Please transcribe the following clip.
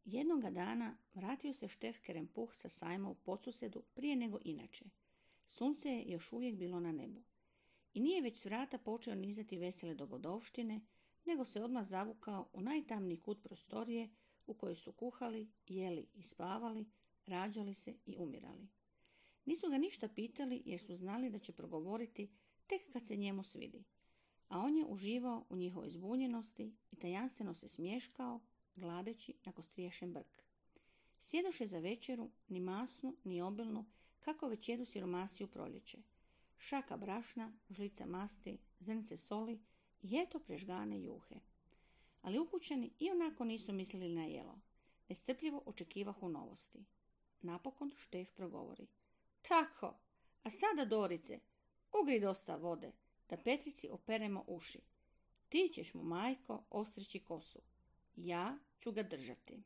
Jednoga dana vratio se Štef Kerempuh sa sajma u Podsusedu prije nego inače. Sunce je još uvijek bilo na nebu. I nije već s vrata počeo nizati vesele dogodovštine, nego se odmah zavukao u najtamniji kut prostorije u kojoj su kuhali, jeli i spavali, rađali se i umirali. Nisu ga ništa pitali jer su znali da će progovoriti tek kad se njemu svidi, a on je uživao u njihovoj zbunjenosti i tajanstveno se smješkao, gladeći na kostriješen brk. Sjedoše za večeru, ni masnu, ni obilnu, kako već jedu siromasi u proljeće. Šaka brašna, žlica masti, zrnce soli i eto prežgane juhe. Ali ukućani ionako nisu mislili na jelo. Nestrpljivo očekivahu novosti. Napokon Štef progovori. Tako, a sada Dorice, ugri dosta vode, da Petrici operemo uši. Ti ćeš mu, majko, ostrići kosu. Ja ću ga držati.